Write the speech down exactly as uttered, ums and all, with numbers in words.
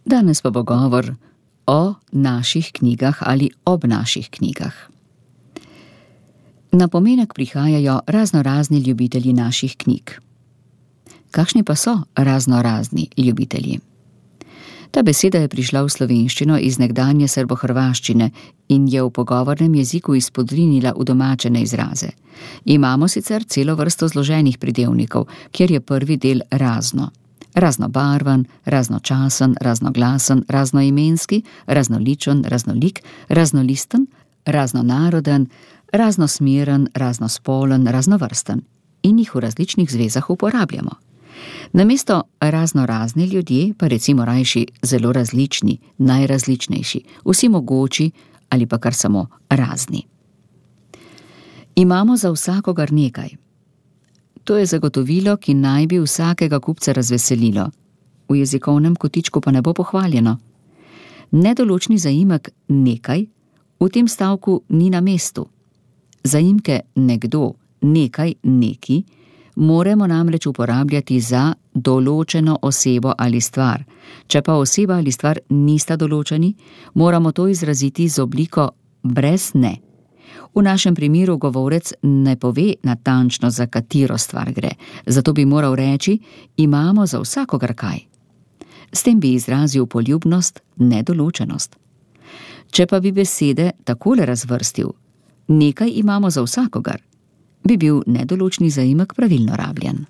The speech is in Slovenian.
Danes pa bo govor o naših knjigah ali ob naših knjigah. Na pomenek prihajajo raznorazni ljubitelji naših knjig. Kakšni pa so raznorazni ljubitelji? Ta beseda je prišla v slovenščino iz nekdanje srbohrvaščine in je v pogovornem jeziku izpodrinila udomačene izraze. Imamo sicer celo vrsto zloženih pridevnikov, kjer je prvi del razno. Raznobarvan, raznočasen, raznoglasen, raznoimenski, raznoličen, raznolik, raznolisten, raznonaroden, raznosmeren, raznospolen, raznovrsten in jih v različnih zvezah uporabljamo. Namesto raznorazni ljudje pa recimo rajši zelo različni, najrazličnejši, vsi mogoči ali pa kar samo razni. Imamo za vsakogar nekaj. To je zagotovilo, ki naj bi vsakega kupca razveselilo. V jezikovnem kotičku pa ne bo pohvaljeno. Nedoločni zaimek nekaj v tem stavku ni na mestu. Zaimke nekdo, nekaj, neki moramo namreč uporabljati za določeno osebo ali stvar. Če pa oseba ali stvar nista določeni, moramo to izraziti z obliko brez ne. V našem primeru govorec ne pove natančno, za katero stvar gre, zato bi moral reči, imamo za vsakogar kaj. S tem bi izrazil poljubnost, nedoločenost. Če pa bi besede takole razvrstil, nekaj imamo za vsakogar, bi bil nedoločni zaimek pravilno rabljen.